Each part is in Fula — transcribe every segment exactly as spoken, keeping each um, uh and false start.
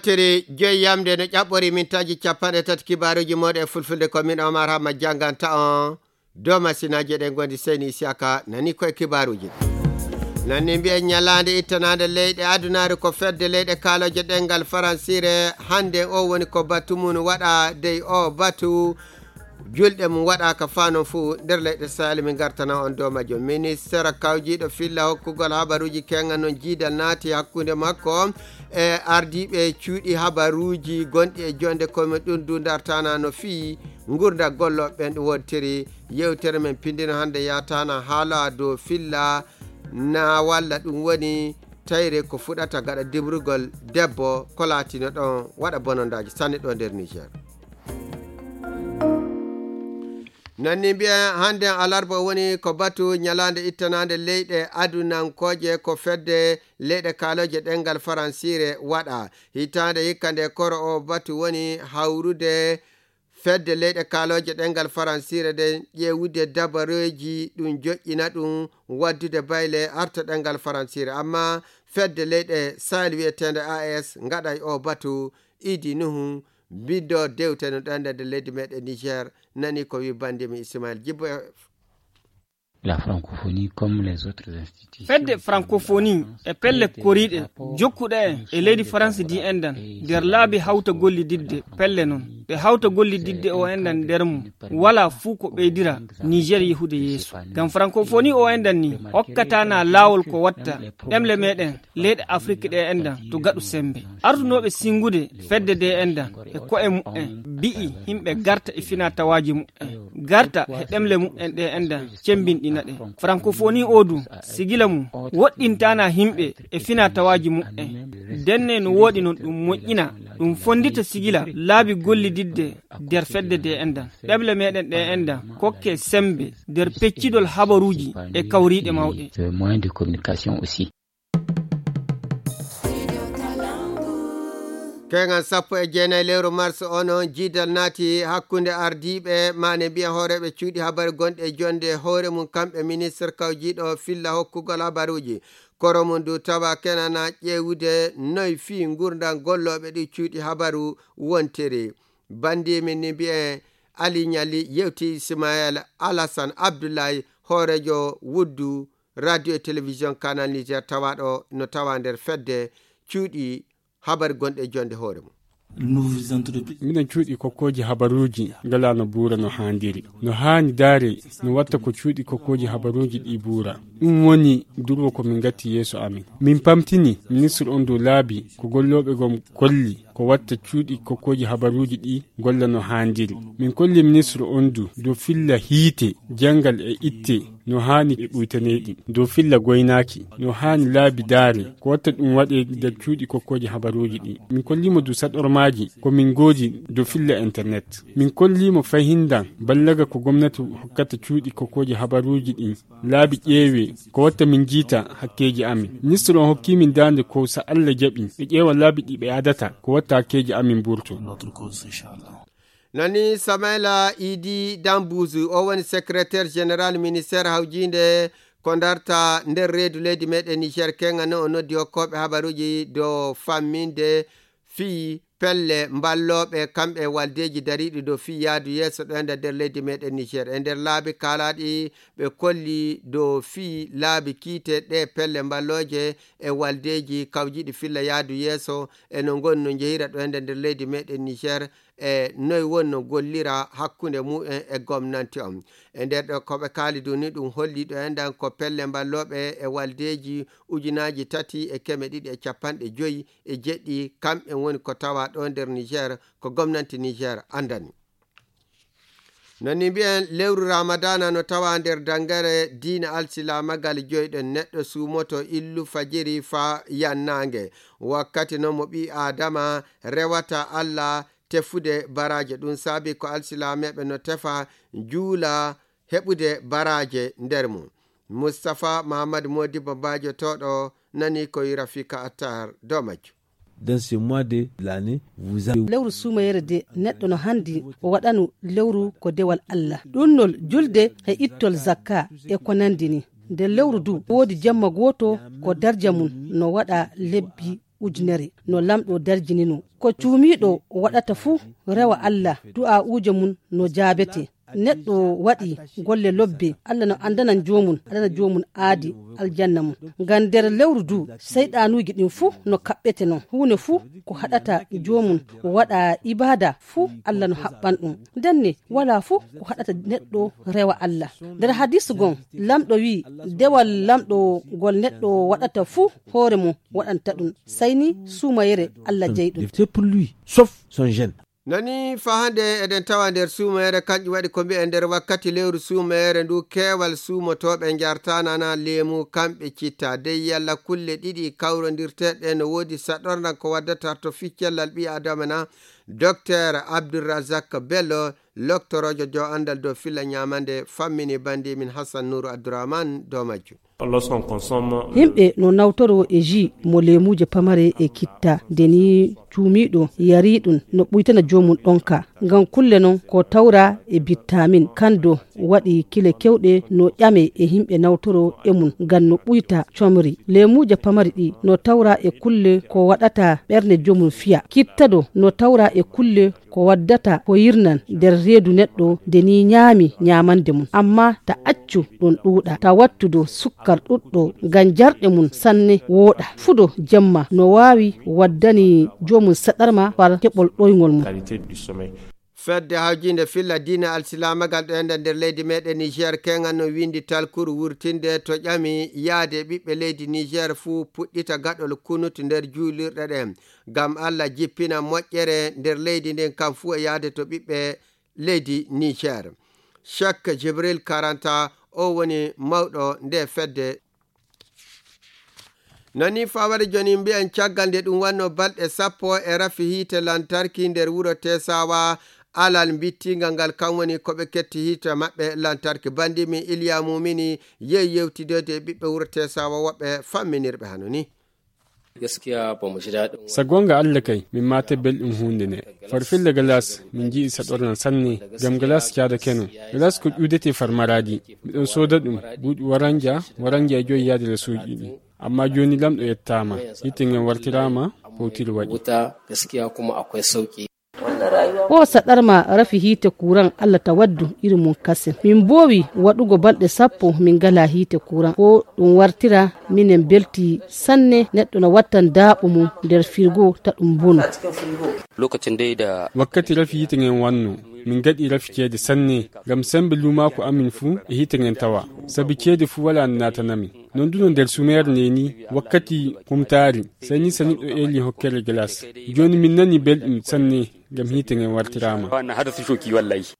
Tiri joyi yamde no ƴaɓɓori min taji capanɗe tati kibaaruuji mooɗon e fulfulde, ko min Omar Hamma jannganta on dow masinaaji ɗen. Gondi Seyni Isiyaka nani koye kibaaruuji. Nani mbiyen ñalaande ittanaande leyɗe adunaaru ko fedde leyɗe kaalooje ɗemngal faransiire. Hannde o woni ko batu mum waɗa dey o batu julɗe mum waɗaaka faa non fuu nder leyɗe Sahel. Min ngartana on dow majjum. Ministere kawjiiɗo filla hokkugol habaruuji keeŋa non jiidal naati hakkunde makko e ardiiɓe cuuɗi habaruuji gonɗi e jonde koye mum. Ɗum du ndartana no fii ngurnda gollooɓe ɓen ɗum wontiri. Yewtere men pindino hannde yaatana haala dow filla na walla ɗum woni tayre ko fuɗata gaɗa dimrugol debbo ko laatino ɗon waɗa bonondaaji sanne ɗo nder Niger. Nanni mbiyen hannde alarba woni ko batu ñalaande ittanaande leyɗe adunankooje ko fedde leyɗe kaalooje ɗemngal faransiire waɗa. Hitaande hikka nde koro o batu woni hawrude fedde leyɗe kaalooje ɗemngal faransiire nde ƴeewude dabareeji ɗum joƴƴina ɗum waddude bayle arta ɗemngal faransiire. Amma fedde leyɗe Sahel wiyeteende A E S ngaɗay o batu. Idi Nuhu, mbindo dewte no ɗande nde leydi meɗen Niger, nani ko wi bandi mi Ismaël Jibbo e La francophonie, comme les autres institutions, fedde francophonie e pelle koriiɗe jokkuɗe en e leydi France di enɗan nder laabi hawta gollididde pelle non. Ɓe hawta gollididde o enɗan nder mum, wala fuu ko ɓeydira Niger yehude yeeso. Ngam francophonie o enɗan ni hokkatana laawol ko watta ɗemle meɗen leyɗe Afrik ɗe enɗan to gaɗu sembe. Artunooɓe singude fedde de enɗan e ko'e mu'en mbi'i himɓe garta e fina tawaaji mu'en, garta e ɗemle mu'en ɗe enɗan cembinɗina ɗe. Francophonie o du sigila mum woɗɗintana himɓe e fina tawaaji mu'en. Denne no wooɗi non ɗum moƴƴina, ɗum fondita sigila laabi gollididde nder fedde de enɗan. Ɗemle meɗen ɗe enɗan kokke sembe nder peccidol habaruuji e kawriiɗe mawɗe. Moyen de communication aussi. Keŋal sappo e jeenayi lewru mars o non jiidal naati hakkunde ardiiɓe maane mbiya hooreeɓe cuuɗi habaru gonɗe e jonde hoore mum kamɓe ministre kawjiiɗo filla hokkugol habaruuji. Koro mum du tawa kenana ƴeewude noy fii ngurndan gollooɓe ɗi cuuɗi habaru wontiri. Bandiimin ni mbiyen Ali Ñali yewti Ismaël Alassane Abdoulaye hooreejo wuddu radio e télévision Canal Niger tawaaɗo no tawa nder fedde cuuɗi habar gonɗe e jonde hoore mum. Minen cuuɗi kokkooji habaruuji ngalaa no buura no haandiri. No haani daare no watta ko cuuɗi kokkooji habaruuji ɗi buura. Ɗum woni durwo ko min ngatti yeeso amin. Min pamtini ministre on dow laabi ko gollooɓe gom kolli ko watta cuuɗi kokkooji habaruuji ɗi golla no haandiri. Min kolli ministre on du dow filla hiite, janngal e itte no haani e ɓuytaneeɗi, dow filla goynaaki no haani laabi daare ko watta ɗum waɗe nder cuuɗi kokkooji habaruuji ɗi. Min kolliimo du saɗormaaji ko min ngoodi dow filla internet. Min kolliimo fahindan ballaga ko gomnati hokkata cuuɗi kokkooji habaruuji ɗi laabi ƴeewe ko watta min jiita hakkeeji amin. Ministre on hokki min daande ko so Allah jaɓi ɓe ƴeewa laabi ɗi ɓe adata ko watta hakkeeji amin burto. Nani Samaila Idi Dambuzu o woni secrétaire général ministère hawjiinde ko darta nder reedu leydi meɗen Niger keŋa no o noddi hokkooɓe habaruuji dow famminde fii pelle mballooɓe kamɓe e waldeeji dariiɗi dow fii yaadu yeeso ɗo enda nder leydi meɗen Niger. E nder laabi kaalaaɗi ɓe kolli dow fii laabi kiite ɗe pelle mballooje e waldeeji kawjiiɗi filla yaadu yeeso e no ngoni no njehira ɗo enda nder leydi meɗen Niger e noy woni no gollira hakkunde mumen e gomnanti on. E nder ɗo ko ɓe kaali du ni ɗum holli ɗo endan ko pelle mballooɓe e waldeeji ujunaaji tati e keme ɗiɗi e capanɗe joyi e jeɗɗi kamɓe woni ko tawa ɗo nder Niger ko gomnanti Niger andani. Nani mbiyen lewru Ramadana no tawa nder dangere diina alsilaamagal joyɗo neɗɗo suumoto illu fajiri fa yannaange. Wakkati non mo ɓii Aadama rewata Allah tefude baraaje. Ɗum saabi ko alsilaameeɓe no tefa juula heɓude baraaje nder mum. Mustapha Mahammad Modibo Bajo toɗo nani ko Rafika Attar dow majjum. Dans ce mois de l'année, vous avez lewru suumayere de neɗɗo no handi o waɗanu lewru ko dewal Allah. Ɗunnol julde e ittol zakka e ko nandi ni. Nder lewru du woodi jemma gooto ko darja mum no waɗa lebbi ujunere no lamɗo darjinino. Ko cuumiiɗo waɗata fuu rewa Allah, du'aa'uuje mum no jaabete. Neɗɗo waɗi golle lobbe, Allah no anndana joomum, anndana joomum aadi aljanna mum. Ngam nder lewru du, seyɗanuuji ɗin fuu no kaɓɓete non. Huunde fuu ko haɗata joomum waɗa ibaada fuu, Allah no haɓɓan ɗum. Ndenne, walaa fuu ko haɗata neɗɗo rewa Allah. Nder hadiisu gon, lamɗo wi'i, dewal lamɗo ngol neɗɗo waɗata fuu, hoore mum waɗanta ɗum. Sey ni suumayere Allah jeyi ɗum. Pour lui, sauf son jeûne. Nani fa hannde eɗen tawa nder suumayere, kanƴum waɗi ko mbi'en nder wakkati lewru suumayere ndu, keewal suumotooɓe njartaana na leemu, kamɓe citta. Dey yalla kulle ɗiɗi kawrondirteeɗe no woodi saɗornan ko waddata to ficcellal ɓii Adama na? Doktor Abdulrazak Bello, loktoroojo jo anndal dow filla ñaamande, fammini bandi min Hassan Nuru Abdurrahman dow majjum. Lorsqu'on consomme Yimɓe no nawtoro e ji mo leemuuje pamare e kitta, nde ni cuumiiɗo yari ɗum no ɓuytana joomum ɗonka. Ngam kulle non ko tawra e bittamin, kando waɗi kile kewɗe no ƴame e yimɓe nawtoro e mum ngam no ɓuyta comri. Leemuuje pamari ɗi no tawra e kulle ko waɗata ɓernde joomum fiya. Kittado no tawra e kulle ko waddata ko yirnan nder reedu neɗɗo nde ni ñaami ñaamande mum. Amma ta accu ɗum ɗuuɗa, ta wattudo sukkar ɗuɗɗo ngam jarɗe mum sanne wooɗa. Fudo jemma no waawi waddani joomum saɗarma far keɓol ɗoyngol mum. Qualité du sommeil. Fedde hawjinde filla diina alsilaamagal ɗo enda nder leydi meɗen Niger keŋal no windi talkuru wurtinde to ƴami yaade ɓiɓɓe leydi Niger fuu puɗɗita gaɗol kunut nder juulirɗe ɗen. Ngam Allah jippina moƴƴere nder leydi ndin kam fuu e yaade to ɓiɓɓe leydi Niger. Cheikh Jibril Karanta, o woni mawɗo nde fedde. Nani fawade joni mbiyen caggal nde ɗum wanno balɗe sappo e rafi hiite lantarki nder wuro Tesawa, alal mbittingal ngal kam woni ko ɓe ketti hiite maɓɓe lantarki. Bandi min Iliya Mumini yehi yewtidode e ɓiɓɓe wuro Tesawa woɓɓe famminirɓe hano ni. Gaskiya ba mu ji daɗin. Sa gonga Allah kay, min mate belɗum hunde ne. Farfille galas, min ji'i saɗorna sanne, gam galas caada keno. Galas ko ƴuudete far maradi. Miɗon sooda ɗum, buuɗi waranja, waranja e joyi yaade la suuji ɗi. Amma joni lamɗo yettama, yitte ngen wartirama, powtir waɗi. Wuta gaskiya kuma akwai sauki. O saɗarma rafi hiite kuran Allah ta waddu iri mum kasen. Min mboowi waɗugo balɗe sappo min ngala hiite kuran. Ko ɗum wartira minen belti sanne, neɗɗo no wattan daaɓo mum nder firgo ta ɗum bono. Lokacin dai da Wakkati rafi hiite ngen wanno, min gaɗi rafi ceede sanne, ngam sembe luumaaku amin fuu e hiite ngen tawa. Sabi ceede fuu wala naatanamin. Non duno nder sumeer neni wakkati humtaari, sai ni sani ɗo eli hokkere glace. Joni min nani belɗum sanne ngam hiite ngen wartiraama. Wannan hada su shoki wallahi.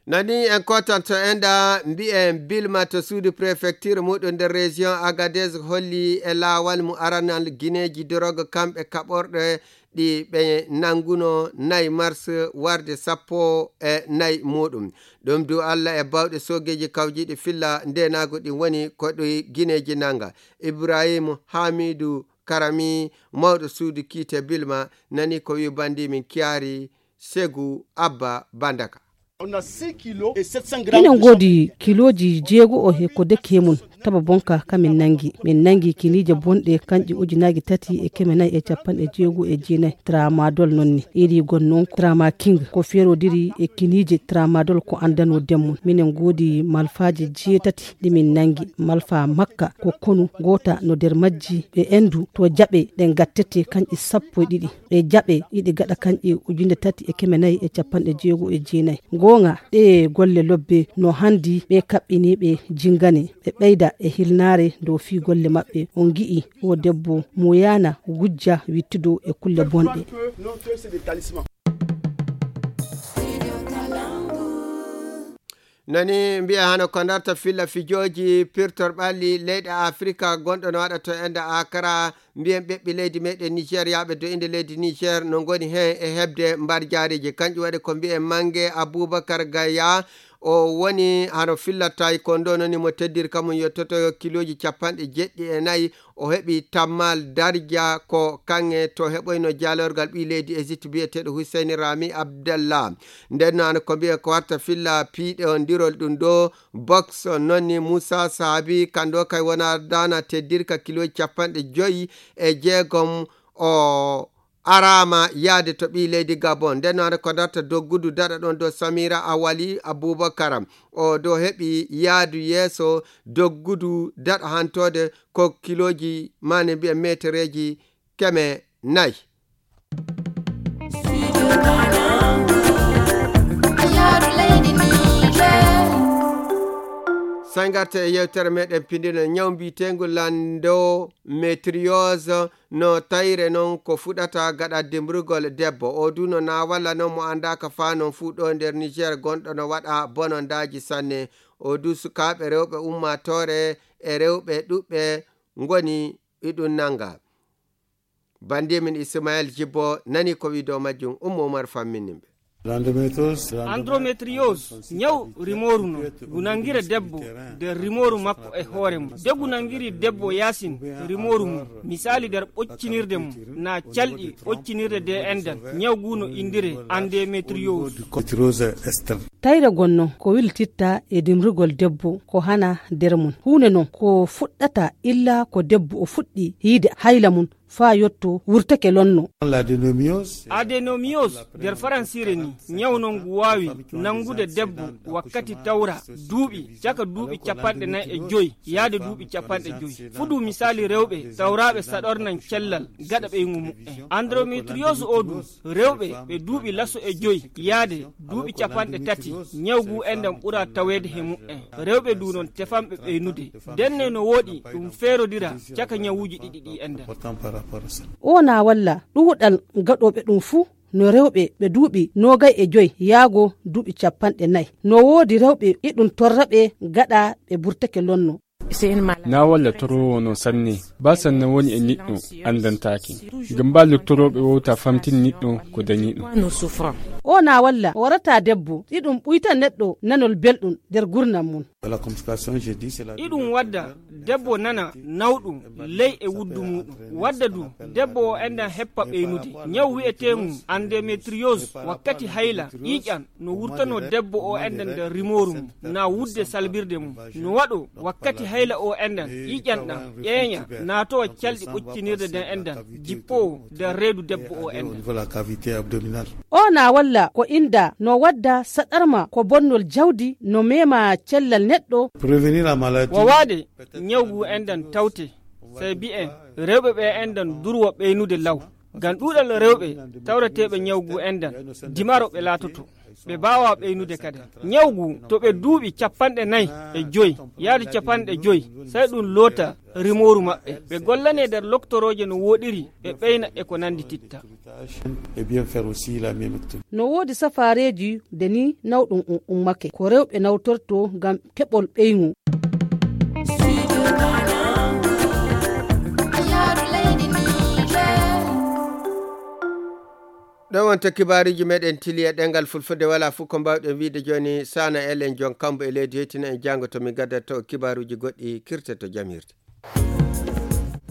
Nani en kotanto enda mbi'en Bilma to suudu prefecture muɗum nder région Agadez holli e laawal mu aranal gineeji drogue kamɓe kaɓorɗe ɗi ɓe nanguno nayi mars warde sappo e nayi muɗum. Ɗum du Allah e bawɗe soogeeji kawjiiɗi filla ndenaagu ɗin woni ko ɗi gineeji nanga. Ibrahim Hamidu Karami, mawɗo suudu kiite Bilma, nani ko wi bandi min Kiyaari Segu Abba Bandaka. Minen ngoodi kilooji jeego e ko deki e mum. Taba bonka ka min nangi. Min nangi kiniije bonɗe kanƴe ujunaaji tati e keme nayi e capanɗe jeego e jeenayi. Tramadol non ni. Iri gon non Trama King ko ferodiri e kiniije Tramadol ko andano demmum. Minen ngoodi malfaaje jeetati ɗi min nangi. Malfa makka ko konu, goota no nder majji ɓe endu to jaɓe ɗen gattete kanƴe sappo e ɗiɗi. E jaɓe iɗi gaɗa kanƴe ujunere tati e keme nayi e capanɗe jeego e jeenayi. Goonga, ɗee golle lobbe no handi ɓe kaɓɓiniiɓe jingane, ɓe ɓeyda e hirnaare dow fii golle maɓɓe. On ngi'i o debbo mo yaana wujja wittudo e kulle bonɗe. Nani mbiya hano ko ndarta filla fijooji pirtor ɓalli leyɗe Afrika gonɗo no waɗa to enda Akara. Mbiyen ɓeɓɓe leydi meɗen Niger yaaɓe do inde leydi Niger no ngoni heen e heɓde mbarjaariji. Kanƴum waɗi ko mbiyen Mange Abubakar Gaya. O woni hano fillata e ko ndo noni mo teddirka mum yettoto kilooji capanɗe jeɗɗi e nayi. O heɓi tammal darja ko kaŋŋe to heɓoyno jaalorgal ɓii leydi Égypte biyeteeɗo Hussein Rami Abdallah. Nden no hano ko mbiyen ko warta filla piiɗondirol ɗum ɗo. Boks nonni Musa Sahabi, kando kay wona dana teddirka kiloji capanɗe joyi e jeegom o araama yahde to ɓii leydi Gabon. Nden noon ko darta doggudu daɗa ɗon dow Samira Awali Abubakar. O ɗo heɓi yahdu yeeso doggudu daɗa hantoode ko kilooji maani mbiya meetereeji keme nayi. Sey ngarten e yewtere meɗen pindino ñaw mbiyeteengu lanndo metriose no tayre noon ko fuɗata gaɗa dimrugol debbo. O du no na walla noon mo anndaaka faa noon fuu ɗo nder Niger gonɗo no waɗa bonondaaji sanne. O du sukaaɓe rewɓe ummaatoore e rewɓe ɗuɓɓe ngoni iɗum nannga. Banndi min Ismael Jibbo nani ko wi'do majjum, Ummu Umar famminin ɓe. Endométriose, ñaw rimooru non, ngu nangira debbo nder rimooru makko e hoore mum. De ngu nangiri debbo yaasin rimooru mum, misali nder ɓoccinirde mum, na calɗi ɓoccinirde de endan, ñaw ngu no indire endométriose. Tayre gonno ko wiltitta e dimrugol debbo ko hana nder mum. Huunde non ko fuɗɗata illa ko debbo o fuɗɗi yiide hayla mum faa yotto wurtake lonno. Adénomiose nder faransiire ni, ñaw non ngu waawi nanngude debbo wakkati tawra duuɓi caka duuɓi capanɗe nayi e joy yaade duuɓi capanɗe joy. Fuɗu misali rewɓe tawraaɓe saɗornan cellal gaɗa ɓeygu muɓɓen. Endométriose o du, rewɓe ɓe duuɓi laso e joy yaade duuɓi capanɗe tati, ñaw ngu enɗan ɓura taweede he muɓɓen. Rewɓe du non tefanɓe ɓeynude. Denne no wooɗi ɗum feerodira caka ñawuuji ɗiɗi ɗi enɗan. O na walla ɗuuɗal gaɗooɓe ɗum fuu no rewɓe ɓe duuɓi noogay e joy yaago duuɓi capanɗe nayi. No woodi rewɓe iɗum torra ɓe gaɗa ɓe burtake lonno. Na walla toroowo no sanne, ba sanne woni e niɗɗo anndantaake. Ngam ba loktorooɓe wowta famtin niɗɗo ko dañi ɗum. O na walla warata debbo, iɗum ɓuyta neɗɗo nanol belɗum nder gurnam mum. Iɗum wadda debbo nana nawɗum ley e wuddu muɗum. Wadda du debbo o enɗan heppa ɓeynude. Ñaw wi'eteengu endométriose wakkati hayla ƴiiƴan no wurtano debbo o enɗan nder rimooru mum, na wudde salbirde mum. No waɗo wakkati hayla o enɗan, ƴiiƴan ɗan ƴeeña, naatowa calɗi ɓoccinirde nden enɗan, jippoo nder reedu debbo o enɗan. O na walla ko inda no wadda saɗarma ko bonnol jawdi no mema cellal neɗɗo. Wawaade ñaw ngu enɗan tawte, sey bi'en rewɓe ɓe enɗan durwa ɓeynude law. Ngam ɗuuɗal rewɓe tawreteeɓe ñaw ngu enɗan, dimaro ɓe laatoto. Ɓe mbaawa ɓeynude kadi. Ñaw ngu to ɓe duuɓi capanɗe nayi e joy, yaade capanɗe joy, sey ɗum loota rimooru maɓɓe. Ɓe gollanee nder loktorooje no wooɗiri, ɓe ɓeyna e ko nanndititta. No woodi safaareeji de ni nawɗum um ummake. Ko rewɓe nawtorto ngam keɓol ɓeygu. Ɗo wonta kibaaruuji meɗen tili e ɗemngal fulfulde, wala fof ko mbawɗen wiide jooni. Sana Ellen Jon Kambo e leydi, yettina en janngo to min gaddato kibaaruuji goɗɗi, kirte to jam hirde.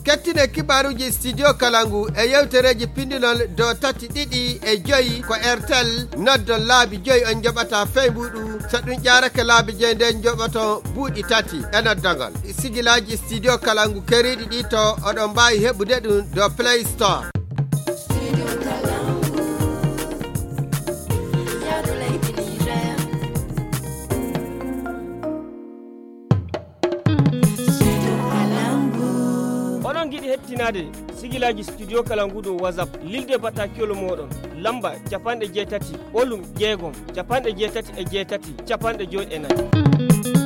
Kettine kibaaruuji Studio Kalangu e yewtereeji pindinol dow tati, ɗiɗi e joyi ko Airtel. Noddon laabi joyi on njoɓata feybuɗu. So ɗum ƴaarake laabi joyi, nden njoɓoto buuɗi tati e noddagol. Sigilaaji Studio Kalangu keriiɗi ɗi to oɗon mbaawi heɓude ɗum dow Play Store. Oɗon ngiɗi hettinaade sigilaaji Studio Kalangu dow WhatsApp, lilde bataakiol mooɗon, lamba capanɗe jeetati, ɓolum jeegom, capanɗe jeetati e jeetati, capanɗe joy e nayi.